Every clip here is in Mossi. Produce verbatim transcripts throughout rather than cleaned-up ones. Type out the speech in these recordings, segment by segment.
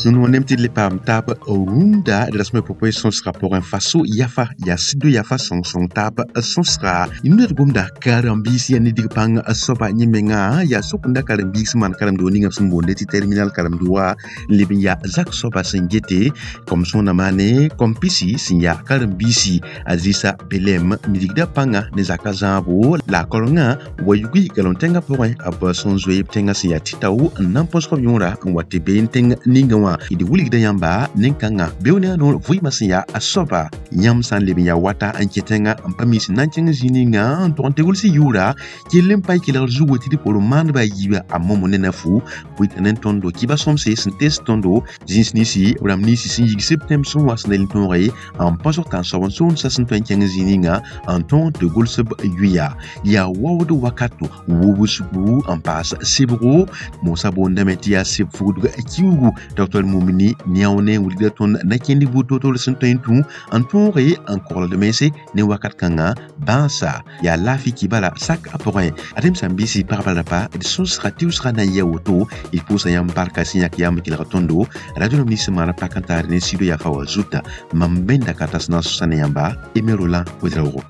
Sẽn wã nem tɩ d le paam taab rũndã d rasmã pʋgẽ sõsgã pʋgẽ faso yafa yaa sɩdo yafa sõng-sõng taab sõsga ned gomda karen-biis yaa ne dig pãng soaba yẽ menga yaa sokenda karen-biig sẽn maan karem-doog ninga b sẽn boonde tɩ terminal karem-dooga n leb n yaa zak soaba sẽn gete kom sõna maane kom pisi sẽn yaa karen-biisi a Idrissa Belem midigda pãnga ne zaka zãabo la a karengã wa yugi galon tẽngã pʋgẽ b sẽn zoe b tẽngã sẽn yaa tɩ-tao n na n põsg b yõora n wa tɩ been tẽng ninga wã d wilgda yãmba nin-kãngã beoone a noor vɩɩmã sẽn yaa a soaba yãmb sã n leb n yaa wata n kẽ tẽngã n pa mis n na n kẽng zĩig ninga n tog n tɩ gʋls yʋʋra kell n pa y kelgr zugu tɩ d poor maandba a yiiba a momo ne nafu bʋɩta ne tõndo kɩba sõmse sẽn tes tõndo zĩns ninsi b rãmb ninsi sẽn yigs b tẽm sẽn wa sẽn la tõoge n põsg tãnsoab n soonsa sẽn tõe n kẽng zĩig ninga n tõog tɩ gʋls b yʋya yaa waood wakato wubsgu n paas sebgo moosã boondame tɩ yaa seb fugdg kiugu docteur Mumini niaone wilgda tõnd na kẽnd buud toor-toor sẽn tõe n tũ n tõoge n kogld mense ne wakat kãngã bãasa yaa laafɩ kibala sak a pʋgẽ ad-m sãn-biisi pagba rapa d sõsga tɩʋsga na n yɩ a woto d pʋʋsa yãmb barka sẽn yãk yam kelg tõndo radio rãmb nins sẽn maana pak n taar ne sido yafa wã zuta mam bẽnda ka tas na n sõsa ne yãmba Aimé Roland Ouédraogo.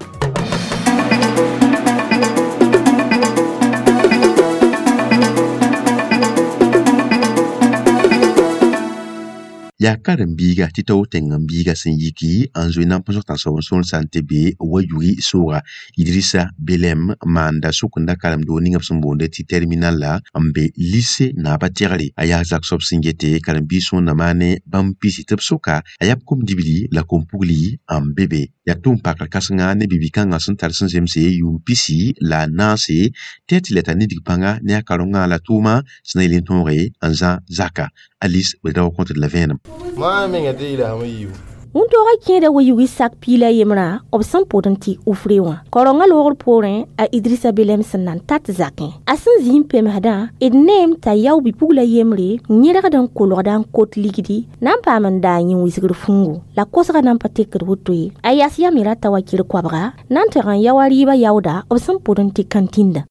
Yaa karen-biiga tɩ tao tẽng n biiga sẽn yiki n zoe na n põsg tãnsoab n sõor sã n tɩ be wa yugi sooga Idrissa Belem maanda sʋkenda karem-doog ninga b sẽn boonde tɩ terminal la n be lycée naabã tɛgre a yaa zak soab sẽn gete karen-biis sõorna maane bãmb pisi tɩ b soka a yaa b kom-dibli la kom-pugli n be be yaa tʋʋm pakr kãsenga ne bibi-kãngã sẽn tar sẽn zemse yʋʋm pisi la a naase tɩ tɩ la tar nidg pãnga ne a karengã la tʋʋma sẽn na yel n tõoge n zã zaka Alice Ouédraogo kõtd la vẽenem. Wũntooga kẽeda wa yugi sak piila yembrã b sẽn pʋd n tɩ ufre wã karengã loogr poorẽ a Idrissa Belem sẽn na n tat zakẽ a sẽn zĩ n pemsdã d neem t'a yao bi-pugla yembre n yẽrgd n kolgda n kot ligdi na n paam n daa yẽ wisgr fũngo la kosgã na n pa tekd woto ye a yas yame rata wa kɩr koabga na n tɩg n yao a rɩɩbã yaooda b sẽn pʋd n tɩ kãntĩnda.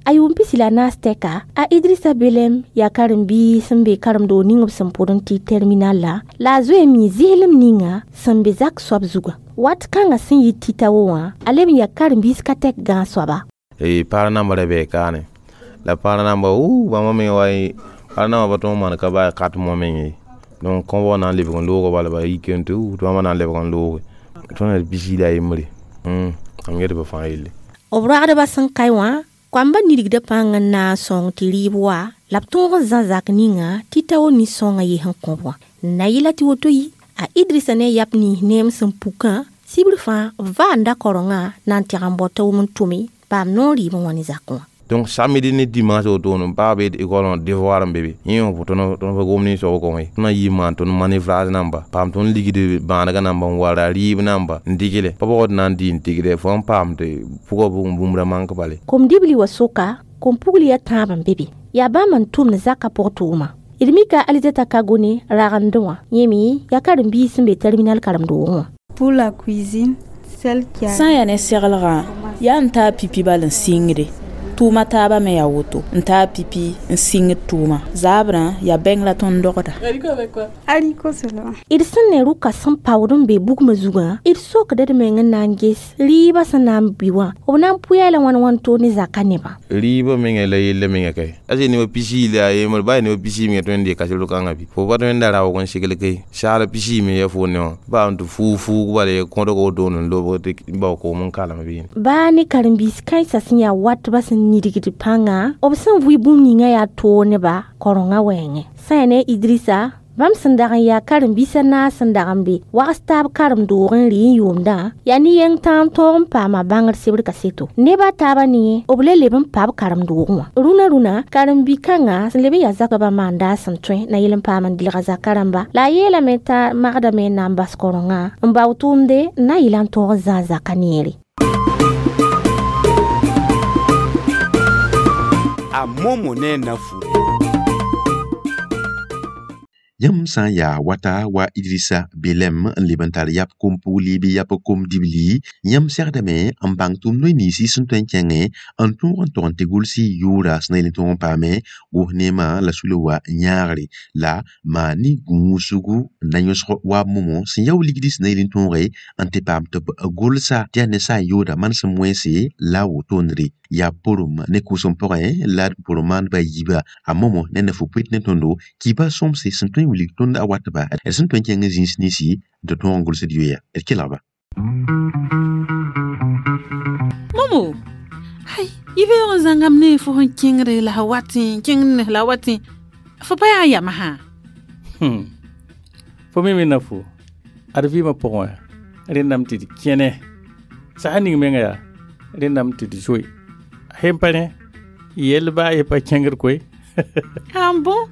A yʋʋm pisi la naas tɛka a Idrissa Belem yaa karen-biis sẽn be karem-doog ning b sẽn pʋd n tɩ terminal la la a zoe mi zɩslem ninga sẽn be zak soab zuga wat kãngã sẽn yɩ tɩ-tao wã a leb n yaa karen-biis ka tɛk gãag soaba. Paar namba ra bɩ kaane la paar namba uu bãmba me wa paar namba pa tõog maan ka baa kat mo meng ye donc kõbg na n lebg n loog bala ba yik n tɩ tɩ bãmba na n lebg n looge tõnd d pisi la yembre mam get b fãa yelle. B ragdbã sẽn kae wã koamba nidgda pãng n na n sõng tɩ rɩɩb wa la b tõog n zã zak ninga tɩ-tao nin-sõngã yes n kõb wã na yɩla tɩ woto yi a Idrissa ne a yap nins neem sẽn pukã sibr fãa b vaanda karengã na n tɛg n bao t'a wʋm n tʋme paam noor rɩɩb n wã ne zak wã. Donc samedi ni dimanche woto n paab b école wã devoir n be be yẽ wã tõnd pa gom nin-soab kõ ye tõnd na yɩ maan tõnd manœuvrage namba paam tõnd ligd bãanegã namba n wara rɩɩb namba n dɩgle pa pʋgd na n dɩ n tigde fo n paam tɩ pʋgã bũmb ra mank bale. Kom-dibli wã soka kom-pugli yaa tãab n be be yaa bãmb n tʋmd zakã pʋg tʋʋma d mika Alizeta Kagone ragend wã yẽ me yaa karen-biis sẽn be terminal karem-doogẽ wã. Pour la cuisine, celle qui a sã n yaa ne seglgã yaa n taa pipi bal n sɩngde tʋʋma taabã me yaa woto n taa pipi n sɩngd tʋʋma zaabrã yaa bɛng la tõnd dogda. Haricot seulement. D sẽn ne rʋka sẽn paood n be bugmã zugã d sokda d meng n na n ges rɩɩbã sẽn na n bɩ wã b na n pʋya la wãn wãn toor ne zakã nebã. Rɩɩbã menga la yella menga kae a zee nebã pisi la a yembr baa nebã pisi menga tõe n dee kasr kãngã bɩ fo pa tõe n da raoog n segl ke saal pisi me ya fo ne wã baa n tɩ fuug fuug bala ye kõdg woto n lobg tɩ bao koom n kalem bɩ. Baa ne karen-biis kãensã sẽn yaa watbã sẽn nidgd pãnga b sẽn vʋɩ bũmb ninga yaa toor nebã karengã wɛɛngẽ sã yaa ne Idrissa bãmb sẽn dag n yaa karen-biisã naas sẽn dag n be wags taab karem-doog n rɩ n yʋʋmdã yaa ne-yeng tãag n tõog n paama bãngr sebr kaseto nebã taabã ne b le leb n pa b karem-doogẽ wã rũnã rũnã karen-bi-kãngã sẽn leb n yaa zakaba maanda sẽn tõe na yel n paam n dɩlga zaka rãmba la a yeelame t'a magdame n na n bas karengã n bao tʋʋmde n na yɩla n tõog n zãag zaka neere. A momo ne nafu. Yãmb sã n yaa wata wa Idrissa Belem n leb n tar yap kom-pugli bɩ yap kom-dibli yãmb segdame n bãng tʋʋm noy nins sẽn tõe n kẽngẽ n tõog n tog n tɩ gʋls y yʋʋra sẽn na yel n tõog n paame gos neemã la sula wa yãagre la maan ne gũusgu n na yõsg wa momo sẽn yao ligdi sẽn na yel n tõoge n tɩ paam tɩ b gʋlsa tɩ yaa ne sã n yooda manesem wẽnse la a wotondre yaa porom ne kʋʋsem pʋgẽ la d pʋrẽ maandbã yiiba a momo ne na fu-pʋɩt ne tõndo kiiba sõmse sẽn tõe n wilg tõnd a watba d sẽn tõe n kẽng zĩis ninsi tɩ tõog n gʋlsd yoeya d kelgba. Momo, ai, i beoog n zãngame ne fo sẽn kẽngre la f watẽ kẽngd la watẽ fo pa yaa yam sã. Hmm. Fo me me na fo ad vɩɩmã pʋgẽ wã rẽndame tɩ d kẽne sã ning menga yaa rẽndame tɩ d zoe sẽn pa rẽ yell baa ye pa kẽngd koe. Ah bon,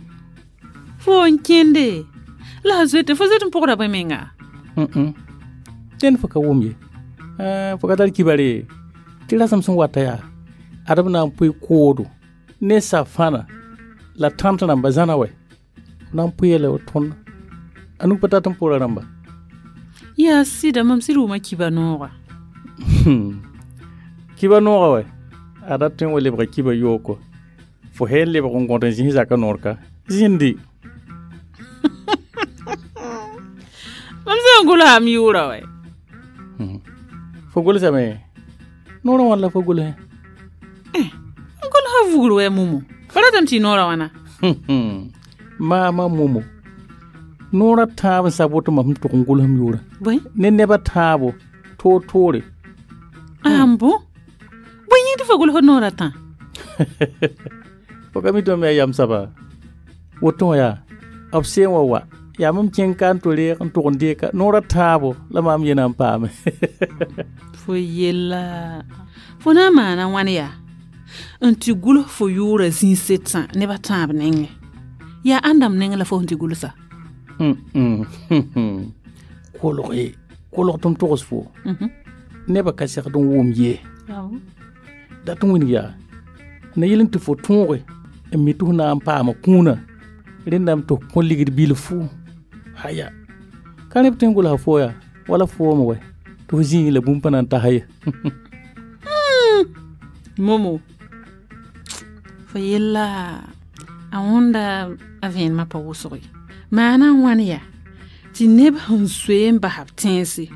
fo n kẽnde la a zoete fo zoet n pʋgda bõe menga? Dẽnd fo ka wʋm ye, fo ka tar kibare tɩ rasem sẽn wata yaa ad b na n pʋɩ koodo ne safãna la tãnt rãmba zãna wɛ b na n pʋɩ la tõnd a nug pa tat n pʋra rãmba. Yaa sɩda mam sɩd wʋma kiba nooga. Kiba nooga wɛ ada tõe n wa lebga kiba yooko fo sẽn lebg n gõd n zĩs zaka noor ka zĩndi. Mam sẽn gʋlsam yʋʋra wɛ. Fo gʋlsame noorã wãn la fo gʋlsẽ? N gʋlsa vugr wɛ momo fo ratame tɩ noorã wãna. Maama momo noorã tãab n sab woto mam sẽn tʋg n gʋlsem yʋʋrã bõe ne neba tãabo toor-toore. Ah bon, bõe yĩng tɩ fo gʋls noorã tã? Fo ka mi tɩ mam yaa yam saba woto wã yaa b seen wa wa yaa mam kẽng ka n to reeg n tʋg n deeka noorã tãabo la maam ye na n paame. Fo yella fo na n maana wãn yaa n tɩ gʋls fo yʋʋra zĩig tã nebã tãab nengẽ yaa ãndame nengẽ la fo sẽn tɩ gʋlsa? Kolge kolg tɩ m togs fo nebã ka segd n wʋm ye dat n wĩneg yaa na yel n tɩ fo tõoge n mi tɩ f na n paama kũunã rẽndame tɩ f kõ ligd bilfu haya ka rẽ b tõe n gʋlsa fo yaa wala foome wɛ tɩ f zĩig la bũmb pa na n tasa ye. Momo fo yella a wõnda a vẽenemã pa wʋsg ye maana n wãn yaa tɩ neb sẽn zoe n bas b tẽense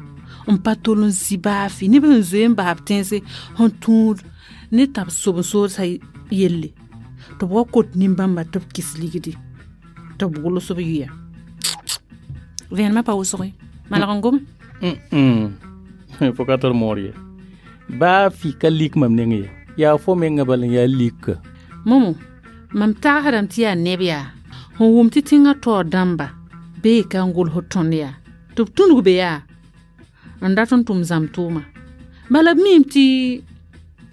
n pa tol n zĩ baa fɩ neb sẽn zoe n bas b tẽense sẽn tũud ne tab sob-n-soodsa yelle tɩ b wa kot nin-bãmba tɩ b kɩs ligdi tɩ b gʋls b yʋya vẽenemã pa wʋsg ye malg n gome. Fo ka tar moor ye baa fɩ ka lik mam neng ye yaa fo menga bal n yaa lika. Momo mam tagsdame tɩ yaa neb yaa sẽn wʋm tɩ tẽngã taoor dãmba bee ka n gʋls tõnd yaa tɩ b tũnug be yaa n dat n tʋm zãm tʋʋma bala b miime tɩ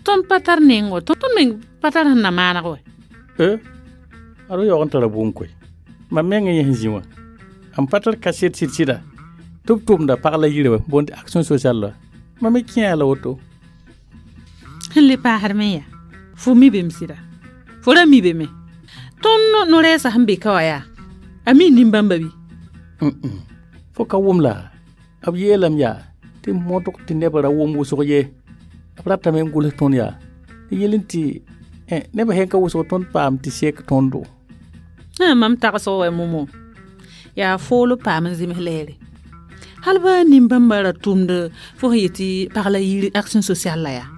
tõnd pa tar neng wa tõnd meng pa tar sẽn na maaneg wɛ. E ad yaoog n tara bũmb koe mam meng yẽ sẽn zĩ wã n pa tar kaset sɩd-sɩda tɩ b tʋmda pag la yire wa boond action sociale la mam me kẽa la woto. Sẽn le paasd me yaa fo mi bem sɩda fo ra mi be me tõnd no-rɛɛsã sẽn be ka wã yaa a mi nin-bãmba bɩ? Fo ka wʋm la b yeelame yaa tɩ modg tɩ nebã ra wʋm wʋsg ye b ratame n gʋls tõnd yaa tɩ yel n tɩ nebã sẽn ka wʋsg tõnd paam tɩ sek tõndo. Mam tagsg wɛ momo yaa fool paam n zems lɛɛre hal ba nin-bãmba ra tʋmd fo sẽn yetɩ pag la yir action sociale la yaa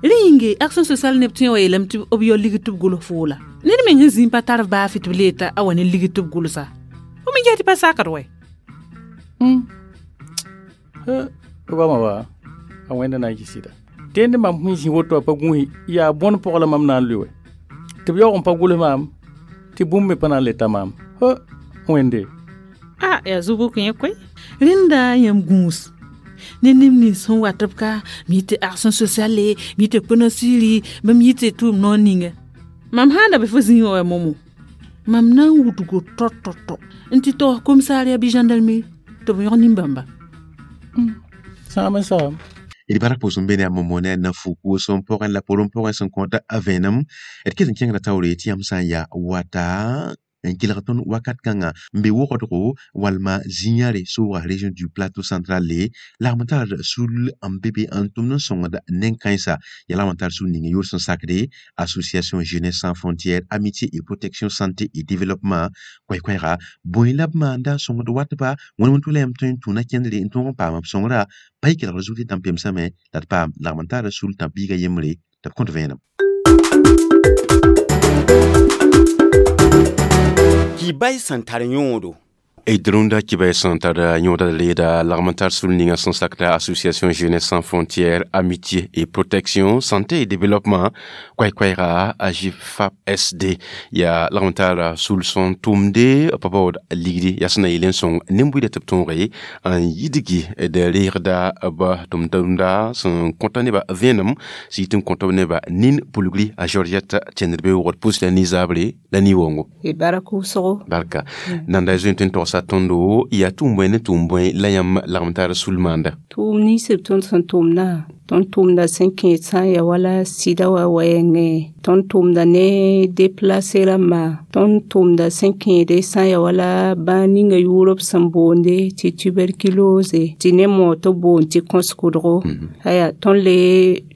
rẽ yĩnge action sociale neb tõe n wa yeelame tɩ b yao ligd tɩ b gʋls foola ned meng sẽn zĩ pa tar baa fɩ tɩ b leeta a wa ne ligd tɩ b gʋlsa fo me yaa tɩ pa sakd wɛ. Goamã wa a wẽnda na n yɩ sɩda tẽnd mam sẽn zĩ woto wã pa gũusi yaa bõn pʋg la mam na n lʋɩ wɛ tɩ b yaoog n pa gʋls maam tɩ bũmb me pa na n le ta maam wẽnde. A yaa zu-bʋk yẽ koe rẽnda yãmb gũus ne neb nins sẽn wat b ka mi tɩ action sociale mi tɩ kpena-siiri bãmb yɩ tɩ tʋʋm noor ninga mam sã n da be fo zĩig wã wa momo mam na n wudgo tɔ-tɔ-tɔ n tɩ taoos commissariat bɩ gendarmerie tɩ b yõg nin-bãmba. Sãam n saam. D bark pʋʋsem be ne a momo ne a na-fuku sẽn pʋgẽ la pʋrẽ pʋgẽ sẽn kõta a vẽenem d ket n kẽngda taoore tɩ yãmb sã n yaa wata n kelg tõnd wakat kãngã n be wogdgo walma zĩ-yãre sooga région du plateau central le lagm n tar sul n be be n tʋmd n sõngd nen-kãensa yaa lagm n tar sul ning yʋʋr sẽn sakde association jeunesse sans frontières amitié et protection santé et développement koɛɛ-koɛɛga bõe la b maanda n sõngd watba wẽnd wẽn tʋ la yãmb tõe n tũuna kẽndre n tõog n paam b sõngra pa y kelgr zug tɩ tãn pemsame la d paam lagm n taara sul tãb-biiga yembre tɩ b kõt vẽenem. Kibay sẽn tar yõodo. D rũndã kibay sẽn tar yõoda leeda lagm n tar sul ninga sẽn sakda association jeunesse sans frontières amitié et protection santé et développement koɛɛ-koɛɛga AJFAP S D yaa lagm n tar sul sẽn tʋmde pa baood ligdi yaa sẽn na yɩl n sõng nin-buiidã tɩ b tõoge n yidgi d reegda b tʋm-tʋmda sẽn kõta nebã vẽenem sɩ yit n kõt b nebã nin pulgri a Georgette tẽndr be wogd pʋs la nizabre la ni-wongo. Barka wʋsgo. Barka nanda zoe tõe n togsa tõndo yaa tʋʋm bõe ne tʋʋm bõe la yãmb lagm tar sul maanda. Tʋʋm nins b tõnd sẽn tʋmdã tõnd tʋmda sẽn kẽed sã n ya wala sɩda wã wɛɛngẽ tõnd tʋmda ne déplacé rãmbã tõnd tʋmda sẽn kẽede sã n ya wala bãag ninga yʋʋr b sẽn boonde tɩ tuberculose tɩ ne moog tɩ b boond tɩ kõs-kʋdgo aya tõnd le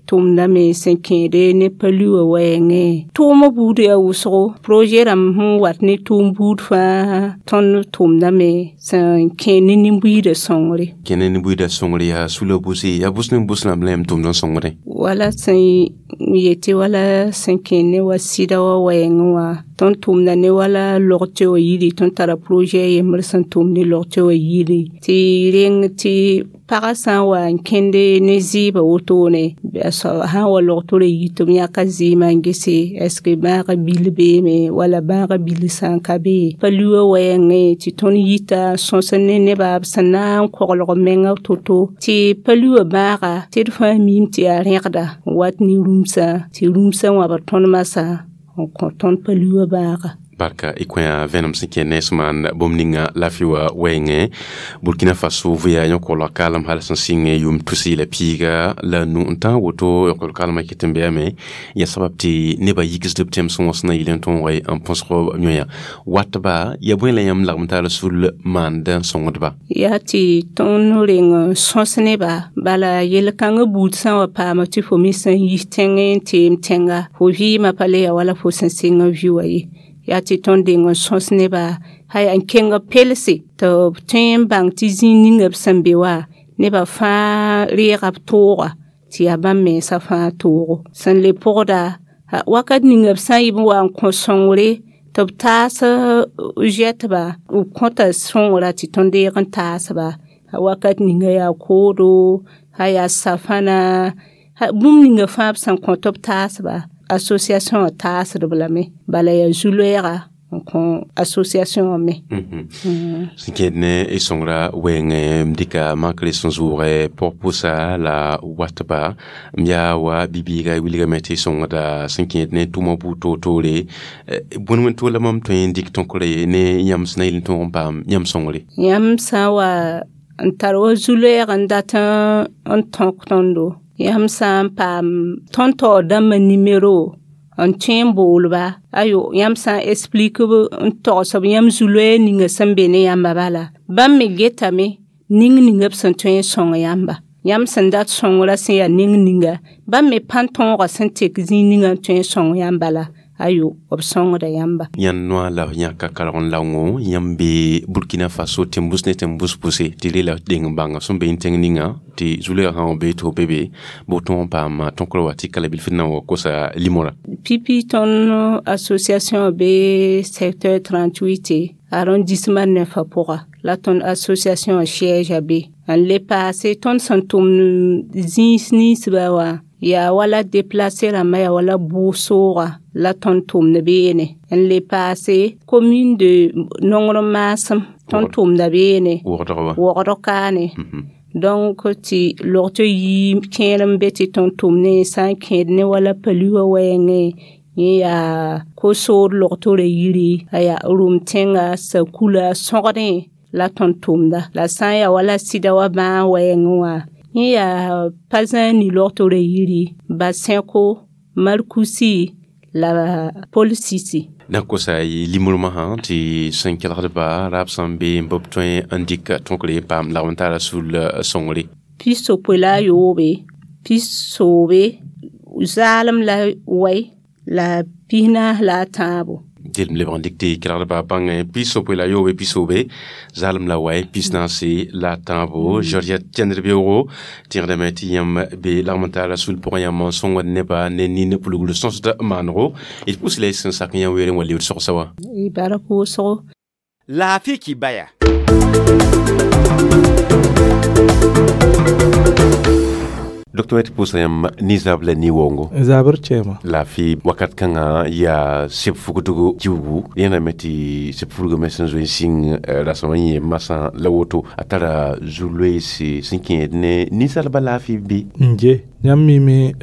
tʋmdame sẽn kẽede ne palu wã wɛɛngẽ tʋʋmã buud yaa wʋsgo projet rãmb sẽn wat ne tʋʋm buud fãa tõnd tʋmdame sẽn kẽ ne nin-buiidã sõngre. Kẽ ne nin-buiidã sõngre yaa sula bʋse yaa bʋs ne bʋs rãmb la yãmb tʋmd n sõngdẽ. Wala sẽn yetɩ wala sẽn kẽ ne wa sɩda wã wɛɛngẽ wã tõnd tʋmda ne wala log-tɩ wã yiri tõnd tara projet yembr sẽn tʋm ne log-tɩ wã yiri tɩ reng tɩ pagã sã n wa n kẽnde ne zɩɩbã wotone a sã n wa log-tɩ yi tɩ b yãka zɩɩmã n gese est ce que bãagã bil beeme wala bãagã bil sã n ka be palu wã wɛɛngẽ tɩ tõnd yita n sõs ne nebã b sẽn na n koglg menga to-to tɩ palu wã bãaga tɩ d fãa miime tɩ yaa rẽgda n wat ne rũmsã tɩ rũmsã wãbd tõnd masã n kõ tõnd palu wã bãaga. Barka y kõ vẽenem sẽn kẽ ne sẽn maan bũmb ninga laafɩ wã wɛɛngẽ Burkina Faso vɩya yõk-kolg kaalem hal sẽn sɩng yʋʋm tus la piiga la nu n tãag woto yõk-kolg kaalmã ket n beame yaa sabab tɩ nebã yigsd b tẽmsẽ wã sẽn na yɩl n tõoge n põsg yõya watba yaa bõe la yãmb lagm tar sul maand n sõngdba. Yaa tɩ tõnd reng n sõs nebã bala yel-kãngã buud sã n wa paama tɩ fo me sẽn yis tẽngẽ n teem tẽnga fo vɩɩmã pa le ya wala fo sẽn sɩng n vɩ wã ye yaa tɩ tõnd deng n sõs nebã haya n kẽng b pelse tɩ b tõe n bãng tɩ zĩig ninga b sẽn be wã nebã fãa reega b tooga tɩ yaa bãmb mensã fãa toogo sẽn le pʋgda wakat ninga b sã n yɩ b wa n kõ sõngre tɩ b taas zɛtba b kõta sõngra tɩ tõnd deeg n taasba wakat ninga yaa koodo a yaa safãna bũmb ninga fãa b sẽn kõ tɩ b taasba association wã taasdb lame bala yaa zu-loɛɛga n kõ association wã me. Sẽn kẽed ne y sõngra wɛɛngẽ m dɩka makre sẽn zʋʋgɛ pɔg-pʋsa la watba m yaa wa bi-bɩɩga wilgame tɩ y sõngda sẽn kẽed ne tʋʋmã buud toor-toore bõe wẽn to la mam tõe n dɩk tõkre ne yãmb sẽn na yɩl n tõog n paam yãmb sõngre. Yãmb sã n wa n tar wa zu-loɛɛg n dat n tõk tõndo yãmb sã n paam tõnd taoor dãmbã nimero n tõe n boolba ayo yãmb sã n explique b n togsb yãmb zu-loɛɛg ninga sẽn be ne yãmba bala bãmb me getame ning ninga b sẽn tõe n sõng yãmba yãmb sẽn dat sõngrã sẽn yaa ning ninga bãmb me pãn tõogã sẽn tek zĩig ninga n tõe n sõng yãmba la ayo b sõngda yãmba. Yãnd noa la yãka kalg n laongo yãmb be Burkina Faso tẽn-bʋs ne tẽn-bʋs pʋse tɩ re la deng n bãnga sẽn be n tẽng ninga tɩ zu-loɛɛg sã wa be tɩ f be be bɩ tõog n paam tõkr wa tɩ kala bilf na n wa kosa limora. Pipi tõnd association be secteur trente-huit arrondissement neuf pʋga la tõnd association siège a be n le paase tõnd sẽn tʋm zĩis ninsbã wã yaa wala déplacé rãmbã yaa wala bʋʋg-sooga la tõnd tʋmd beene n le paase commune de nongr maasem tõnd tʋmda beene wogdg kaane donc tɩ log-tɩ yii kẽer n be tɩ tõnd tʋm ne sã n kẽed ne wala palu wã wɛɛngẽ yẽ yaa ko-sood log-tɩ yiri a yaa rʋm tẽnga sakula sõgdẽ la tõnd tʋmda la sã n yaa wala sɩda wã bãag wɛɛngẽ wã yẽ yaa pa zãag ni log-tɩ yiri Basẽko Markusi la Pol Sisi. Na kosa y limurmã sã tɩ sẽn kelgdba raab sã n be n b tõe n dɩk tõkre n paam lagm n tara sul sõngre. Pis-yopoe la a yoobe, pis-soobe, zaalem la wai la pis-naas la a tãabo. Dɩl lebg n dɩk tɩ kelgdba bãng pis-yopoe la yoobe pis-soobe zaalem la wai pis-naase la tãabo. Georgette Tẽndr-beoogo tẽgdame tɩ yãmb be lagm n tara sul pʋgẽ yãmb n sõngd nebã ne nin pulgr sõsd maanego. D pʋs la y sẽn sak yã weere n wa lebd sogsa wã. Y bark wʋsgo. Laafɩ kibaya. Docteur tɩ pʋʋsa yãmb ninsab la ni-waoongo. Zabr kẽema. Laafɩ wakat kãngã yaa seb fugdgo kiugu yẽname tɩ seb fulgã me sẽn zoe n sĩng rasem n yẽ masã la woto a tara zu-loeese sẽn kẽed ne ninsalbã laafɩ bɩ. N je yãmb mime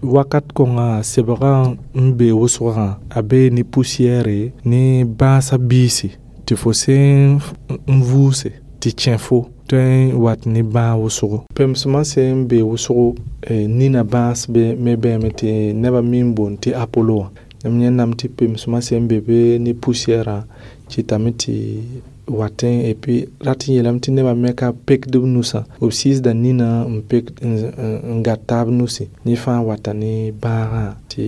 wakat kõnga sebgã n be wʋsgã a be ne poussière ne bãasã biisi tɩ fo sẽn n vʋʋse tɩ kẽ fo tõe n wat ne bãag wʋsgo. Pemsmã sẽn be wʋsgo nina bãas be me bãame tɩ nebã mi n boond tɩ Apollo wã. Yãmb yẽndame tɩ pemsmã sẽn be be ne poussière kɩtame tɩ watẽ et puis rat n yeelame tɩ nebã me ka pekd b nusã b sɩɩsda nina n pek n gat taab nusi yẽ fãa wata ne bãagã tɩ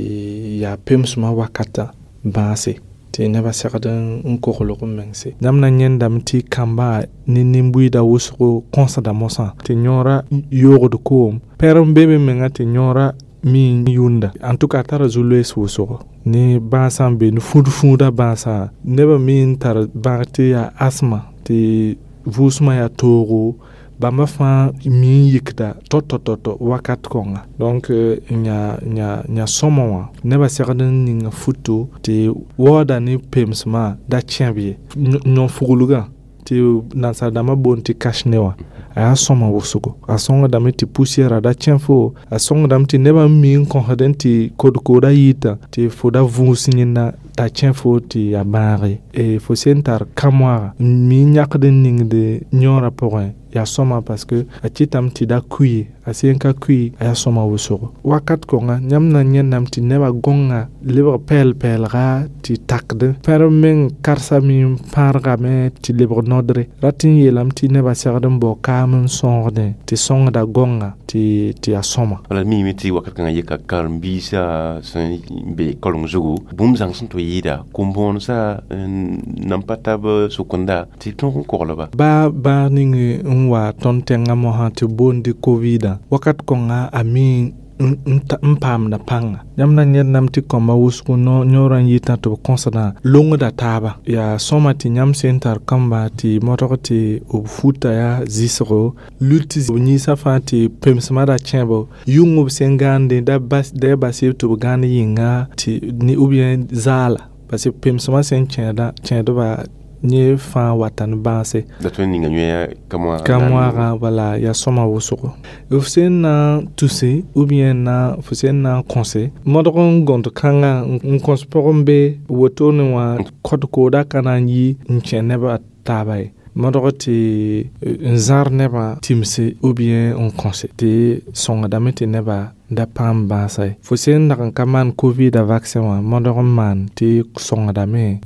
yaa pemsmã wakatã bãase tɩ nebã segd n koglg n mengse. Yãmb na yẽndame tɩ kambã ne nin-buiidã wʋsgo kõsda mosã tɩ yõorã yoogd koom pɛr n be be menga tɩ yõorã mi n yũnda. En tout cas tara zu-loees wʋsgo ne bãasã n be ne fũud-fũudã bãasã nebã mi n tar bãag tɩ yaa asma tɩ vʋʋsmã yaa toogo bãmba fãa mi n yikda tɔ-tɔ-tɔ wakat kõnga. Donc nya nya nya sõma wã nebã segd n ninga futo tɩ waooda ne pemsmã da kẽb ye yõ-fuglgã tɩ nansar-dãmbã boond tɩ cache-nez wã a yaa sõma wʋsgo. A sõngdame tɩ poussière da kẽ fo, a sõngdame tɩ nebã n mi n kõsd n tɩ kod-koodã yita tɩ fo da vũus yẽnda t'a kẽ fo tɩ yaa bãag ye. Fo sẽn tar kã-moaaga n mi n yãkd n ningd yõorã pʋgẽ yaa sõma parce que a kɩtame tɩ da kui a sẽn ka kui a yaa sõma wʋsgo. Wakat kõnga yãmb na yẽndame tɩ nebã gõnga lebg pɛɛl-pɛɛlga tɩ takd pɛrem meng karsame n pãargame tɩ lebg nodre rat n yeelame tɩ nebã segd n bao kaam n sõogdẽ tɩ sõngda gõnga tɩ tɩ yaa sõma. Wala mime tɩ wakat kãngã yeka karen-biisã sẽn be kaleng zugu bũmb zãng sẽn tɩ yɩɩda kom-bõonesã nan pa tab sʋkenda tɩ tõog n koglba. Baa bãag ning n wa tõnd tẽngã mosã tɩ boond COVID wakat kõnga a mi n paamda pãnga. Yãmb na yẽdname tɩ kõmba wʋsgo yõorã n yitã tɩ b kõsdã longda taaba. Yaa sõma tɩ yãmb sẽn tar kãmba tɩ modg tɩ b futa yaa zɩsgo lut b yĩnsã fãa tɩ pemsmã da kẽebo yʋng b sẽn gãande da bas da bas tɩ b gãand yĩnga tɩ ou bien zaala parce que pemsmã sẽn kẽeda kẽedba yẽ fãa wata ne bãase. La tõe n ninga yõe ka-moaagã wala yaa sõma wʋsgo. F sẽn na n tuse ou bien na fo sẽn na n kõse modg n gõnd kãngã n kõs pʋgẽ be wotone wã kod-koodã ka na n yi n kẽ nebã taaba ye. Modg tɩ n zãr nebã tɩmse ou bien n kõse tɩ sõngdame tɩ nebã da paam bãasa ye. Fo sẽn dag n ka maan COVID vaccin wã modg n maan tɩ sõngdame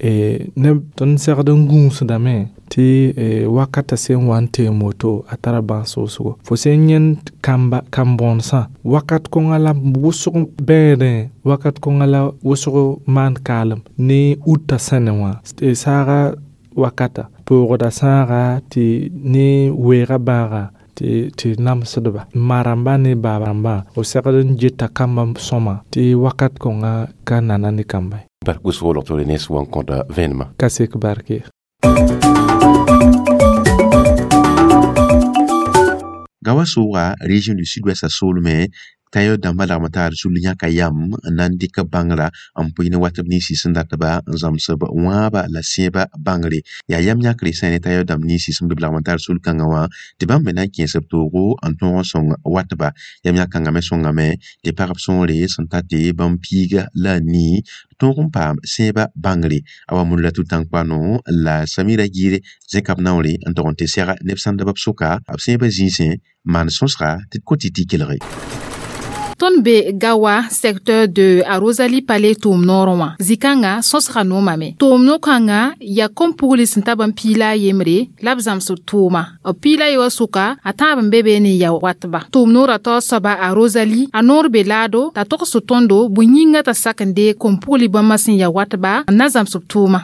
neb tõnd segd n gũusdame tɩ wakata sẽn wa n teem woto a tara bãas wʋsgo. Fo sẽn yẽnd kamba kam-bõonesã wakat kõnga la wʋsg bẽedẽ wakat kõnga la wʋsg maan kaalem ne uta sẽne wã saaga wakata poogda sãaga tɩ ne weega bãaga tɩ tɩ namsdba ma-rãmbã ne baab-rãmbã b segd n geta kambã sõma tɩ wakat kõnga ka nana ne kamba ye. Bark wʋsgo log tɩ ne wa n kõta vẽenemã. Ka sek bark ye. Gawa sʋʋga région du sud-ouest a soolmẽ tayɔ dãmbã lagm taar sul yãka yam n na n dɩk bãngrã n pʋɩ ne wat b ninsi sẽn datba n zãmsb wãaba la sẽeba bãngre. Yaa yam yãkre sã ne tayɔ dãmb ninsi sẽn be b lagm taar sul kãngã wã tɩ bãmb me na n kẽes b toogo n tõog n sõng watba. Yam yã-kãngã me sõngame tɩ pagb sõore sẽn ta tɩ bãmb piiga la a nii tõog n paam sẽeba bãngre. A wa mund la Tʋ-tãn-koano la Samira Gire zẽka b naoore n tog n tɩ sɛga neb sãndb b sʋka b sẽebã zĩisẽ maan sõsga tɩ d kot tɩ tɩ kelge. Tõnd be Gawa secteur de a Rosalie Palais tʋʋm noorẽ wã zĩ-kãngã sõsga noomame tʋʋm no-kãngã yaa kom-pugli sẽn ta bãmb piila a yembre la b zãmsd tʋʋma b piila ye wã sʋka a tãab n be be ne ya watba tʋʋm noorã taoor soaba a Rosalie a noor be laado t'a togsd tõndo bõe-yĩngã t'a sak n deeg kom-pugli bãmba sẽn ya watba n na zãmsb tʋʋma.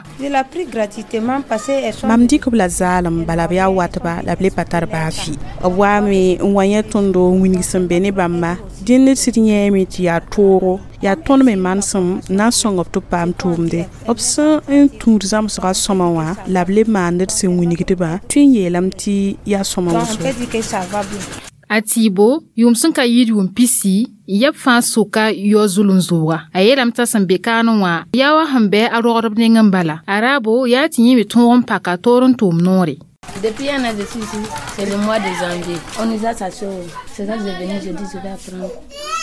Mam dɩk b la zaalem bala b yaa watba la b le pa tar baa fɩ b waame n wa yẽ tõndo n wilg sẽn be ne bãmba dẽnd d sɩd yẽeme tɩ yaa toogo yaa tõnd me manesem n na n sõng b tɩ b paam tʋʋmde b sẽn n tũud zãmsgã sõma wã la b le maand d sẽn wilgdbã tɩ n yeelame tɩ yaa sõma wʋsgo. A tɩɩbo yʋʋm sẽn ka yɩɩd yʋʋm pisi yɛb fãa sʋka yao zulem zʋʋga a yeelame t'a sẽn be kaanẽ wã yaa wa sẽn bɩ a rogdb neng n bala a raabo yaa tɩ yẽ me tõog n paka toor n tʋʋm noore. Depuis un an, je suis ici, c'est le mois de janvier. On nous a chassés. C'est ça que je venu, je dis, je vais apprendre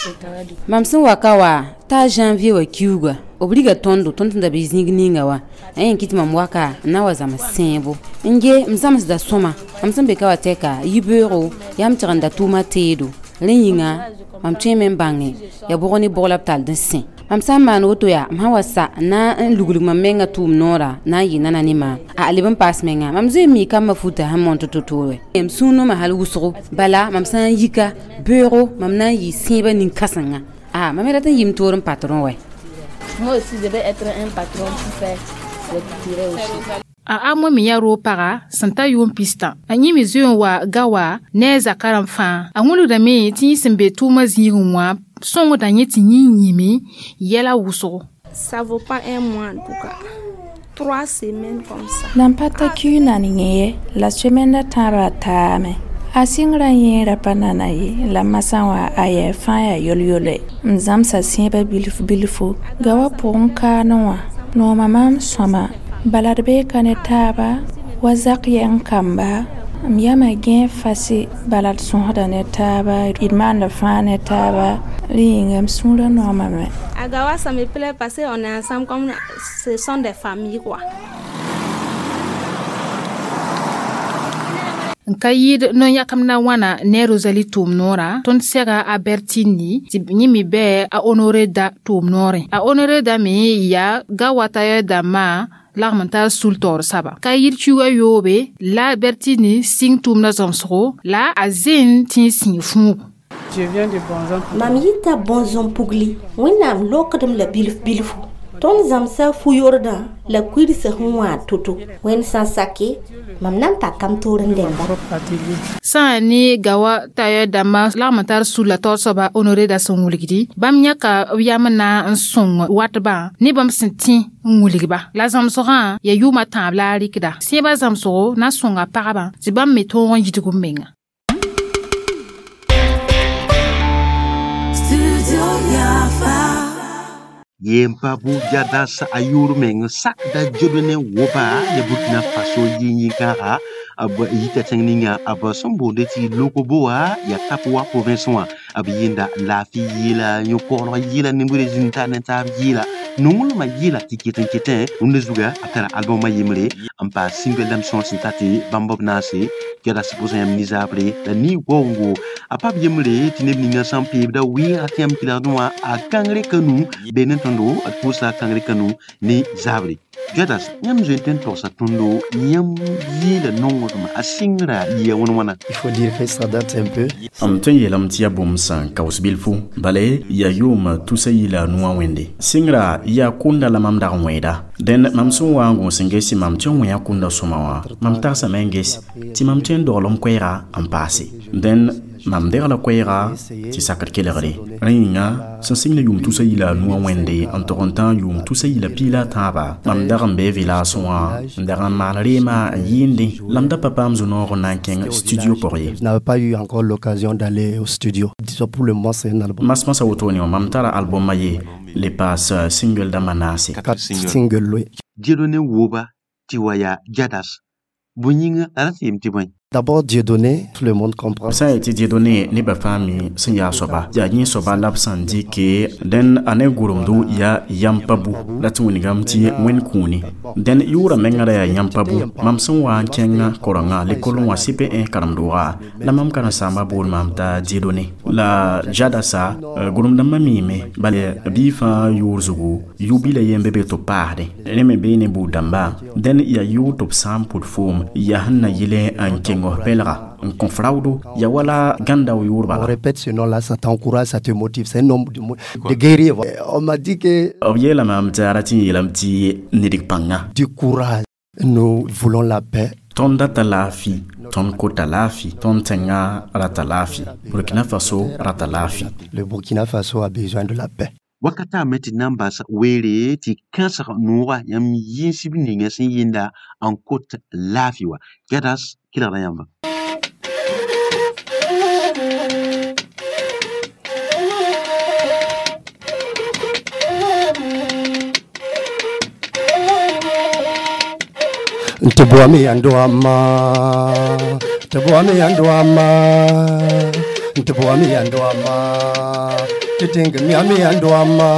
le travail. Du Mam sẽn wa ka wa t'a janvier wa kiuga b riga tõndo tõnd sẽn da be zĩig ninga wa a yẽn kɩ tɩ mam waka n na wa zãms sẽebo n ge m zãmsda sõma mam sẽn be ka wa tɛka yibeoogo yaa m tɩg n da tʋʋma teedo rẽ yĩnga mam tõeme n bãnge yaa bʋg ne bʋg la b tall n sẽ mam sã n maan woto yaa m sã wa sa n na n luglg mam menga tʋʋm noora na n yɩ nana ne maam a leb n paas menga mam zoe n mii kambã futa sẽn mõn tɩ to-toore m sũurnoma hal wʋsgo bala mam sã n yika beoogo mam na n yɩ sẽebã nin-kãsenga a mam me rat n yɩ m toor n patron wɛ. Moi aussi, je vais être un patron pour faire les couturiers aussi. A amo me yaa roog paga sẽn ta yʋʋm pistã a yẽ me zoe n wa ga wa ne a zakarem fãa a wilgdame tɩ yẽ sẽn be tʋʋmã zĩigẽ wã sõngda yẽ tɩ yẽ yĩme yɛla wʋsgo. Ça vaut pas un mois en tout cas. Trois semaines comme ça. Nan pa ta kiu nan yẽ la semaine tãabã taame a sɩngrã yẽera pa nana ye la masã wã a yɛɛ fãa yaa yol-yole m zãmsa sẽebã bilf bilfu ga wa pʋgẽ kaanẽ wã nooma maam sõma bala d bee ka ne taaba wa zak yɛng kamba m yama gẽe fase bala d sõsda ne taaba d maanda fãa ne taaba rẽ yĩnga m sũurã noomame. À Gawa, ça me plaît parce qu'on est ensemble comme ce sont des familles quoi. N ka yɩɩd no-yãkem na wãna ne Rosalie tʋʋm noorã tõnd sɛga a Bertini tɩ yẽ me bɩ a Honoré da tʋʋm noorẽ a Honoré da me yaa ga wata dãmbã lagm n tar sul taoor saba ka yɩɩd kiuga yoobe la Bertini sɩng tʋʋmdã zãmsgo la a zẽn tɩ n sĩig fũugo. Mam yita bõn-zõm pugli wẽnnaam lokdem la bilf bilfu tõnd zãmsa fu-yordã la kuidsã sẽn wãad to-to wẽnd sã n sake mam na n paka m toor n dẽmba. Sã n ne gawa tayɛr dãmbã lagm n tar sul la taoor soaba Honoré da sẽn wilgdi bãmb yãka b yam na n sõng watbã ne bãmb sẽn tẽ n wilgba la zãmsgã yaa yʋʋmã tãab la a rɩkda sẽebã zãmsgo na n sõnga pagba tɩ bãmb me tõog n yidg b menga. Yem pa bu jadas a yʋʋr meng sakda Dieudonné Woba ya Burkina Faso yĩn-yĩn-kãaga b yita tẽng ninga b sẽn boonde tɩ Lokoboa ya Tapoa province wã b yẽnda laafɩ yɩɩla yõ-koglg yɩɩla nimbre zĩn-tar ne taab yɩɩla nonglmã yɩɩla tɩ ket n ketẽ rũndã zuga a tara albɔmã yembre n paas single dãmb sõor sẽn ta tɩ bãmb b naase jadas pʋsã yãmb nizabre la ni-waoongo a pa b yembre tɩ neb ninga sã n peebda wɩɩga tɩ yãmb kelgdẽ wã a kãngre kanu be ne tõndo d pʋʋsa kãngre kanu ne zabre jadas yãmb zoe n tõe n togsa tõndo yãmb yeela nongdmã a sɩngra yɩa wãn wãna. Il faut dire que ça date un peu. M tõe n yeelame tɩ yaa bũmb sẽn kaoos bilfu bala yaa yʋʋm tusa yila a nuwã wẽnde sɩngra yaa kʋnda la mam dag n wẽeda dẽnd mam sẽn wa n gõs n gese mam tɩ n wẽa kʋnda sõma wã mam tagsame n ges tɩ mam tõe n dogl m koɛɛga n paase dẽnd mam degla koɛɛga tɩ sakd kelgre rẽ yĩnga sẽn sɩng ne yʋʋm tusa yila a nuwã wẽnde n tog n tã yʋʋm tusa yila piila a tãaba mam dag n bee village wã n dag n maan reema n yɩɩndẽ la m da pa paam zu-noog n na n kẽng studio pʋg ye. Je n'avais pas eu encore l'occasion d'aller au studio. Disons pour le moment c'est un album. Masmasa wotone wã mam tara albɔmã ye le paas single dãmbã naase. Quatre singles, oui. Dieudonné Woba tɩ wa yaa jadas bõe yĩnga la ra tɩ yem tɩ bõe. D'abord, Dieudonné, tout le monde comprend. Sã n yetɩ Dieudonné nebã fãa mi sẽn yaa soaba yaa yẽ soaba la b sẽn dɩke dẽn a ne gʋremdo yaa yam pa bu la tɩ wĩnigame tɩ wẽnd kũuni dẽn yʋʋra mengã ra yaa yam pa bu mam sẽn wa n kẽng korengã lekol wã C P un karen-doogã la mam karen-saambã bool maam t'a Dieudonné la Jadasa gʋrem-dãmbã miime bala bɩ fãa yʋʋr zugu yʋ-bila yen be be tɩ b paasdẽ rẽ me bee ne buud-dãmba dẽn yaa yʋʋr tɩ b sã n pʋd foom yaa sẽn na yɩl n kẽng pelga n kõ fraudo ya wala gãnda yʋʋr On répète ce nom-là, ça t'encourage, ça te motive. C'est un nom de, de guerrier. On m'a dit que b yeelame tɩ a rat n yeelame tɩ nidg pãnga du courage. Nous voulons la paix. Tõnd data laafɩ tõnd kota laafɩ tõnd tẽngã rata laafɩ Burkina Faso rata laafɩ. Le Burkina Faso a besoin de la paix. Wakata me tɩ na n bas weere tɩ kãsg noogã yãmb yĩnsb ninga sẽn yĩnda n kot laafɩ wa Gadas kelgda yãmba. Tɩ boame yãnd wãmma tɩ boame yãnd wãmma tɩ boame yãnd wãmma tɩ tẽng miame yãnd wãmma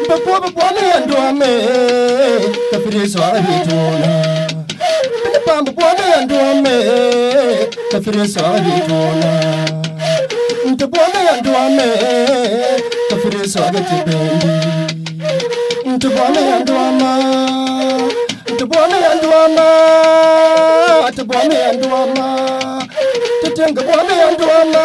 b boame yãnd wãmme t'a fɩ soaga bɩ toona b boame yãnd wãmme t'a fɩ soaga bɩ toona tɩ boame yãnd wãmme t'a fɩ soaga tɩ bendi tɩ boame yãnd wãmma tɩ boame yãnd wãmma tɩ boame yãnd wãmma tɩ tẽng boame yãnd wãmma.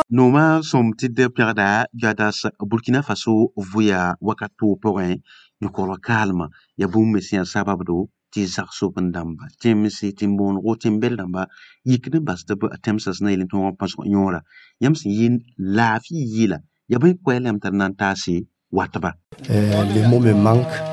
Nooma sõm tɩ d pẽgda Gadas Burkina Faso vʋya wakat toog pʋgẽ yõkr kaalmã yaa bũmb me sẽn yaa sababdo tɩ zagsob n dãmba tẽmse tẽn-boonego tẽn-bɛl dãmba yikd n bas tɩ b tẽmsã sẽn na yel n tõog n pãsg yõora yãmb sẽn yɩ laafɩ yɩla yaa bõe koɛɛl yãmb tɩ d na n taase watba. Les mots me manquent.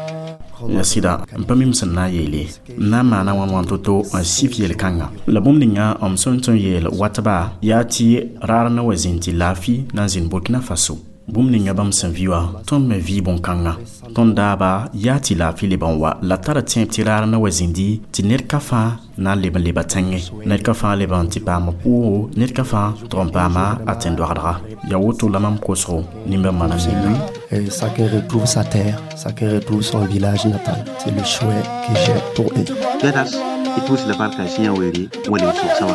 Ya sɩda n pa mim sẽn na n yeele n na n maana wãn wãn to-to n sif yel-kãnga la bũmb ninga m sẽn tõe n yeel watba yaa tɩ raar na wa zĩnd tɩ laafɩ na n zĩnd Burkina Faso bũmb ninga bãmb sẽn vɩ wã tõnd me vɩ bõn-kãnga tõnd daaba yaa tɩ laafɩ leb n wa la tara tẽeb tɩ raar na wa zĩndi tɩ ned ka fãa na n leb n leba tẽngẽ ned ka fãa leb n tɩ paama pʋʋgo ned ka fãa tʋg n paama a tẽn-doagdga yaa woto la mam kosgo nimbã manam lui. Chacun retrouve sa terre, chacun retrouve son village natal. C'est le souhait que j'ai pour eux. Gadas, i pʋʋs la barka sẽn yaa weere wa leb sʋg wã.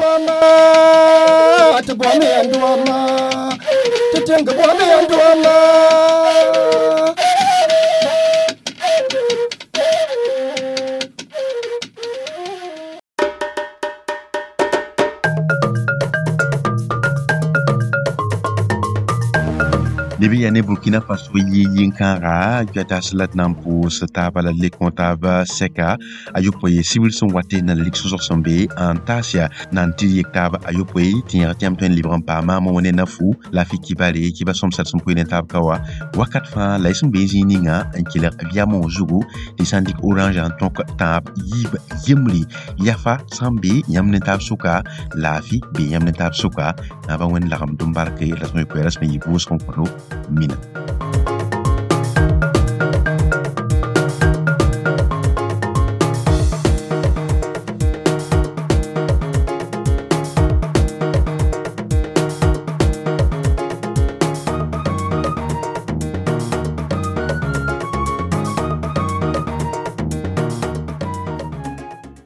Leb yaa ne Burkina Faso yɩ-yĩn-kãaga Gadas la d na n pʋʋs taaba la lek wã taab sɛka a yopoe sibr sẽn wat na lik sõsg sẽn be n taas yaa na n tɩ yek taab a yopoe tɩ yẽg tɩ yãmb tõe n lebg n paama mo ne nafu la fɩ kibare kiba sõmsd sẽn pʋɩ ne taab ka wa wakat fãa la y sẽn be zĩig ninga n kelg biamõ zugu tɩ sã n dɩk orange n tõk tãab yiib yembre yafa sã n be yãmb ne taab sʋka laafɩ be yãmb ne taab sʋka naaba wẽnd lagem dũm barke la sõm koɛɛrã sẽn yɩ vʋʋsg n kõto mina.